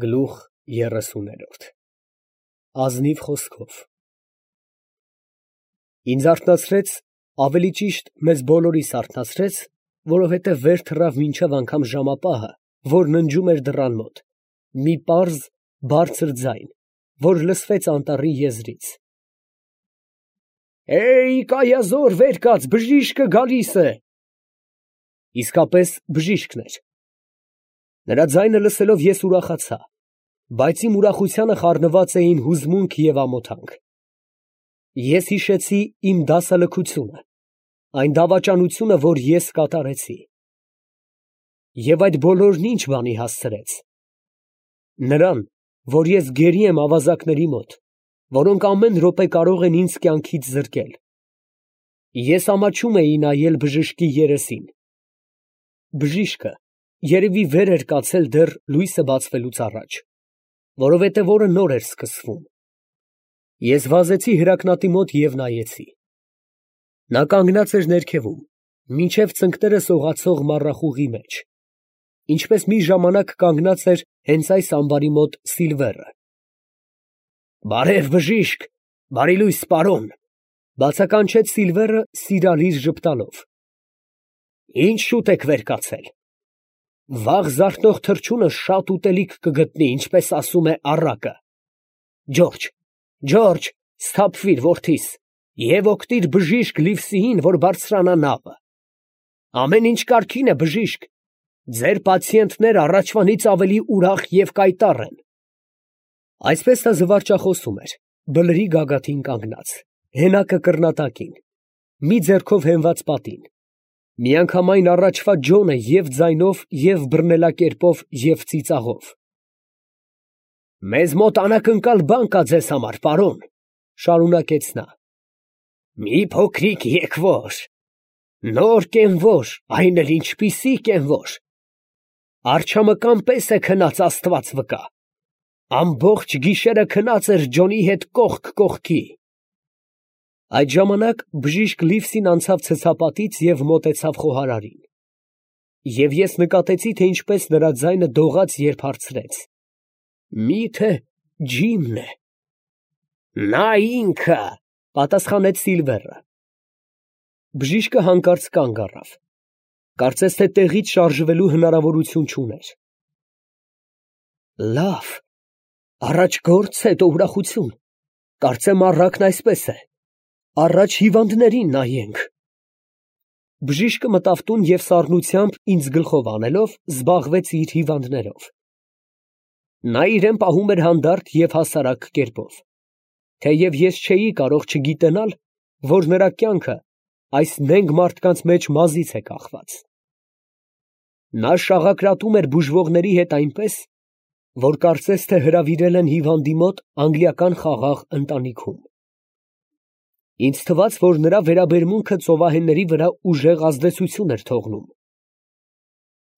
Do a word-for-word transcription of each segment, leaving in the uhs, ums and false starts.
Գլուխ երեսուներորդ Ազնիվ խոսքով Ինձ արթնացրեց, ավելի ճիշտ մեզ բոլորիս արթնացրեց, որովհետև վեր թռավ մինչև անգամ ժամապահը, որ ննջում էր դռան մոտ, մի պարզ, բարձր ձայն, որ լսվեց անտառի եզրից. «Էյ, կայազոր վեր կաց, բժիշկը գալիս է»։ Իսկապես բժիշկն էր։ Նրա ձայնը լսելով ես ուրախացա, բայց իմ ուրախությանը խառնված էին հուզմունք և ամոթանք։ Ես հիշեցի իմ դասալքությունը, այն դավաճանությունը, որ ես կատարեցի։ Եվ այդ բոլորն ի՞նչ բանի հասցրեց։ Նրան, որ ես գերի եմ ավազակների մոտ, որոնք ամեն րոպե կարող են ինձ կյանքից զրկել։ Ես ամաչում էի նայել բժշկի երեսին։ Բժիշկը երևի վեր էր կացել դեռ լույսը բացվելուց առաջ, որովհետև օրը նոր էր սկսվում։ Ես վազեցի հրակնատի մոտ և նայեցի։ Նա կանգնած էր ներքևում, մինչև ծնկները սողացող մառախուղի մեջ, ինչպես մի ժամանակ կանգնած էր հենց այս ամբարի մոտ Սիլվերը։ «Բարև, բժիշկ, բարի լույս, պարոն», ֊ բացականչեց Սիլվերը սիրալիր ժպտալով։ «Ի՞նչ շուտ եք վեր կացել։ Վաղ զարթնող թռչունը շատ ուտելիք կգտնի, ինչպես ասում է առակը։ Ջորջ, Ջորջ, սթափվիր, որդիս, և օգնիր բժիշկ Լիվսիին, որ բարձրանա նավը։ Ամեն ինչ կարգին է, բժիշկ, ձեր պացիենտները առաջվանից ավելի ուրախ և կայտառ են»։ Այսպես նա զվարճախոսում էր, բլրի գագաթին կանգնած, հենակը կռնատակին, մի ձեռքով հենված պատին, միանգամայն առաջվա ջոնը և ձայնով, և բռնելակերպով, և ծիծաղով։ «Մեզ մոտ անակնկալ բան կա ձեզ համար, պարոն», ֊ շարունակեց նա։ «Մի փոքրիկ եկվոր, նոր կենվոր, այն էլ ինչպիսի կենվոր, արջամկան պես է քնած, աստված վկա, ամբողջ գիշերը քնած էր ջոնի հետ կողք կողքի»։ Այդ ժամանակ բժիշկ Լիվսին անցավ ցցապատից և մոտեցավ խոհարարին, և ես նկատեցի, թե ինչպես նրա ձայնը դողաց, երբ հարցրեց. «Մի՞թե Ջիմն է»։ «Նա ինքը», ֊ պատասխանեց Սիլվերը։ Բժիշկը հանկարծ կանգ առավ, կարծես թե տեղից շարժվելու հնարավորություն չուներ։ «Լավ, առաջ գործ, հետո ուրախություն, կարծեմ առակն այսպես է, առաջ հիվանդներին նայենք»։ Բժիշկը մտավ տուն և սառնությամբ ինձ գլխով անելով, զբաղվեց իր հիվանդներով։ Նա իրան պահում էր հանդարտ և հասարակ կերպով, թեև ես չէի կարող չգիտենալ, որ նրա կյանքը այս նենգ մարդկանց մեջ մազից է կախված։ Նա շաղակրատում էր բուժվողների հետ այնպես, որ կարծես թե հրավիրել են հիվանդի մոտ անգլիական խաղաղ ընտանիքում։ Ինձ թվաց, որ նրա վերաբերմունքը ծովահենների վրա ուժեղ ազդեցություն էր թողնում։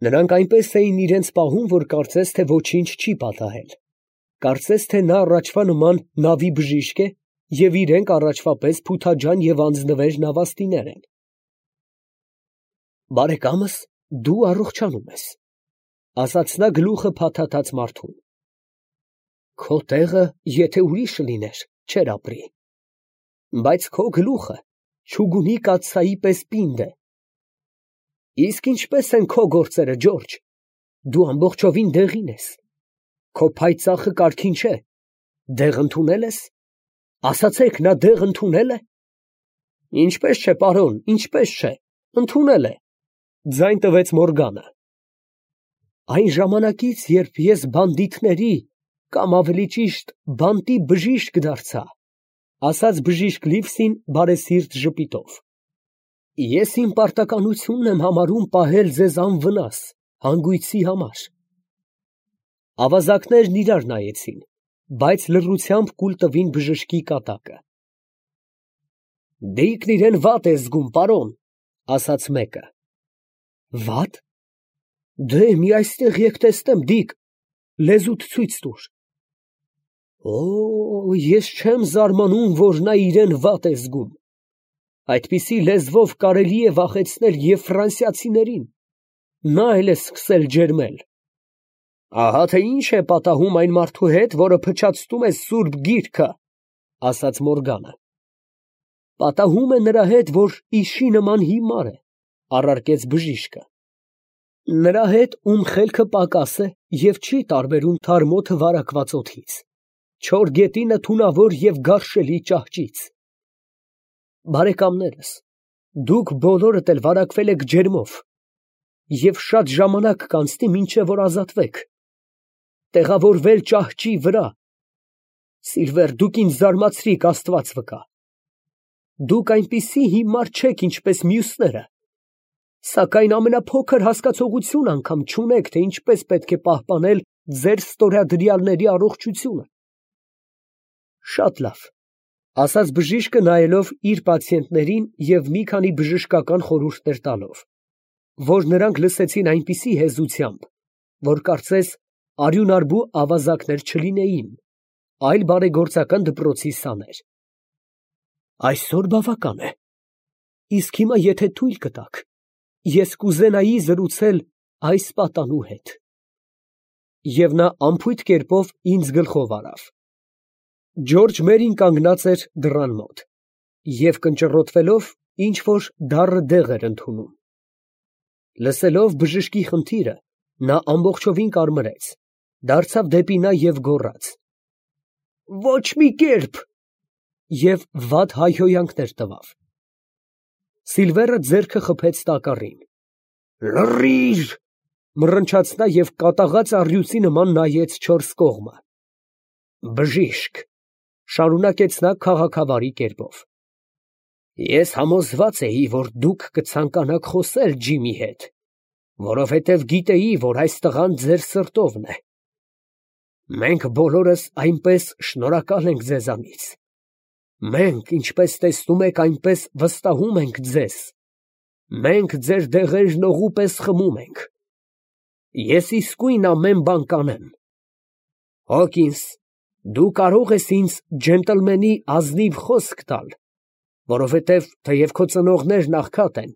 Նրանք այնպես էին իրենց պահում, որ կարծես թե ոչինչ չի պատահել, կարծես թե նա առաջվա նման նավի բժիշկ է, և իրենք առաջվա պես փութաջան և անձնվեր նավաստիներ են։ «Բարեկամս, դու առողջանում ես», ֊ ասաց նա գլուխը փաթաթած մարդուն։ «Քո տեղը եթե ուրիշը լիներ, չէր ապրի, բայց քո գլուխը չուգունի կաթսայի պես պինդ է։ Իսկ ինչպե՞ս են քո գործերը, Ջորջ, դու ամբողջովին դեղին ես, քո փայծախը կարգին չէ, դեղ ընդունե՞լ ես, ասացեք, նա դեղ ընդունե՞լ է»։ «Ինչպես չէ, պարոն, ինչպես չէ, ընդունել է», ֊ ձայն տվեց Մորգանը։ «Այն ժամանակից, երբ ես բանդիտների, կամ ավելի ճիշտ բանտի բժիշկ դարձա», ֊ ասաց բժիշկ Լիվսին բարեսիրտ ժպիտով, ֊ ես իմ պարտականությունն եմ համարում պահել ձեզ անվնաս, հանգույցի համար։ Ավազակներն իրար նայեցին, բայց լռությամբ կուլ տվին բժշկի կատակը։ «Դիկն իրան վատ է զգում, պարոն», ֊ ասաց մեկը։ «Վա՞տ։ Դե մի այստեղ եկ տեսնեմ, Դիկ, լեզուդ ցույց տուր»։ «Օ, ես չեմ զարմանում, որ նա իրան վատ է զգում, այդպիսի լեզվով կարելի է վախեցնել և ֆրանսիացիներին, նա էլ է սկսել ջերմել»։ Ահա թե ինչ է պատահում այն մարդու հետ, որը փչացնում է սուրբ գիրքը, ասաց Մորգանը։ Պատահում է նրա հետ, որ իշի նման հիմար է, առարկեց բժիշկը։ Նրա հետ, ում խելքը պակաս է և չի տարբերում թարմոթը վարակված օդից, չոր գետինը թունավոր և գարշելի ճահճից։ Բարեկամներս, դուք բոլորդ էլ վարակվել եք ջերմով, և շատ ժամանակ կանցնի, մինչև որ ազատվեք, տեղավորվել ճահճի վրա։ Սիլվեր, դուք ինձ զարմացրիք, Աստված վկա։ Դուք այնպիսի հիմար չեք, ինչպես մյուսները, սակայն ամենափոքր հասկացողություն անգամ չունեք, թե ինչպես պետք է պահպանել ձեր ստորադրյալների առողջությունը։ Շատ լավ, ասաց բժիշկը, նայելով իր պացիենտներին և մի քանի բժշկական խորհուրդներ տալով, որ նրանք լսեցին այնպիսի հեզությամբ, որ կարծես արյունարբու ավազակներ չլինեին, այլ բարեգործական դպրոցի սաներ։ Այսօր բավական է, իսկ հիմա եթե թույլ կտաք, ես կուզենայի զրուցել այս պատանու հետ։ Եվ նա անփույթ կերպով ինձ գլխով արավ։ Ջորջ Մերին կանգնած էր դռան մոտ և կնճռոտվելով ինչ֊որ դառը դեղ էր ընդունում։ Լսելով բժշկի խնդիրը, նա ամբողջովին կարմրեց, դարձավ դեպի նա և գոռաց. «Ոչ մի կերպ» և վատ հայհոյանքներ տվավ։ Սիլվերը ձեռքը խփեց տակառին։ «Լռի՛ր», մռնչաց նա և կատաղած առյուծի նման նայեց չորս կողմը։ «Բժիշկ», շարունակեց նա քաղաքավարի կերպով, ես համոզված էի, որ դուք կցանկանաք խոսել Ջիմի հետ, որովհետև գիտեի, որ այս տղան ձեր սրտովն է։ Մենք բոլորս այնպես շնորհակալ ենք ձեզանից։ Մենք, ինչպես տեսնում եք, այնպես վստահում ենք ձեզ։ Մենք ձեր դեղերն օղու պես խմում ենք։ Ես իսկույն ամեն բան կանեմ։ Հոկինս, դու կարող ես ինձ ջենտլմենի ազնիվ խոսք տալ, որովհետև թեև քո ծնողներն աղքատ են,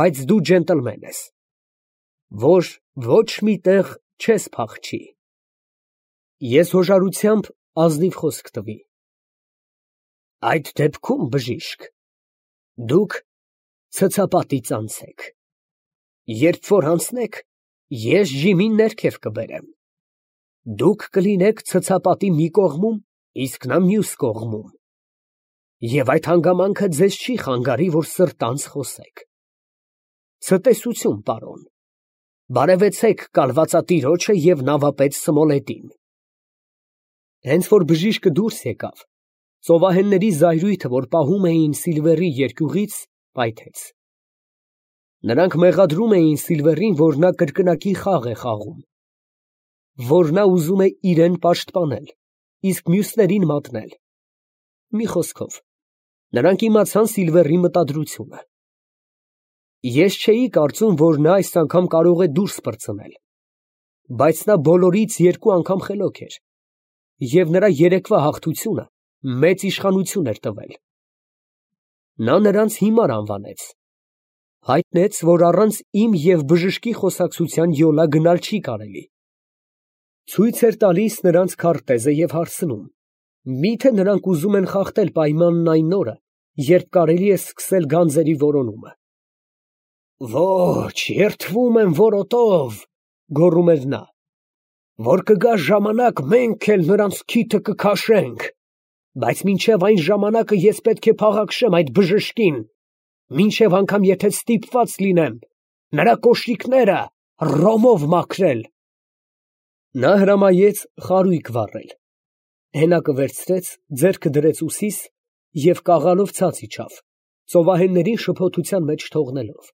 բայց դու ջենտլմեն ես, որ ոչ մի տեղ չես փախչի։ Ես հոժարությամբ ազնիվ խոսք տվի։ Այդ դեպքում, բժիշկ, դուք ցցապատից անցեք։ Երբ որ անցնեք, ես Ջիմին ներքև կբերեմ։ Դուք կլինեք ցցապատի մի կողմում, իսկ նա մյուս կողմում։ Եվ այդ հանգամանքը ձեզ չի խանգարի, որ սրտանց խոսեք։ Ցտեսություն, պարոն։ Բարևեցեք կալվածատիրոջը և նավապետ Սմոլետին։ Հենց որ բժիշկը դուրս եկավ, ծովահենների զայրույթը, որ պահում էին Սիլվերի երկյուղից, պայթեց։ Նրանք մեղադրում էին Սիլվերին, որ նա կրկնակի խաղ է խաղում, որ նա ուզում է իրեն պաշտպանել, իսկ մյուսներին մատնել։ Մի խոսքով, նրանք իմացան Սիլվերի մտադրությունը։ Ես չէի կարծում, որ նա այս անգամ կարող է դուրս պրծնել, բայց նա բոլորից երկու անգամ խելոք էր, և նրա երեկվա հաղթությունը մեծ իշխանություն էր տվել։ Նա նրանց հիմար անվանեց, հայտնեց, որ առանց իմ և բժշկի խոսակցության յոլա գնալ չի կարելի։ Ցույց էր տալիս նրանց քարտեզը և հարցնում, միթե նրանք ուզում են խախտել պայմանն այն օրը, երբ կարելի է սկսել գանձերի որոնումը։ Ոչ, երդվում եմ որոտով, գոռում էր նա, որ կգա ժամանակ, մենք էլ նրանց քիթը կքաշենք, բայց մինչև այն ժամանակը ես պետք է փաղաքշեմ այդ բժշկին, մինչև անգամ եթե ստիպված լինեմ նրա կոշիկները ռոմով մաքրել։ Նա հրամայեց խարույկ վառել, հենակը վերցրեց, ձեռքը դրեց ուսիս և կաղալով ցած իջավ, ծովահեններին շփոթության մեջ թողնելով։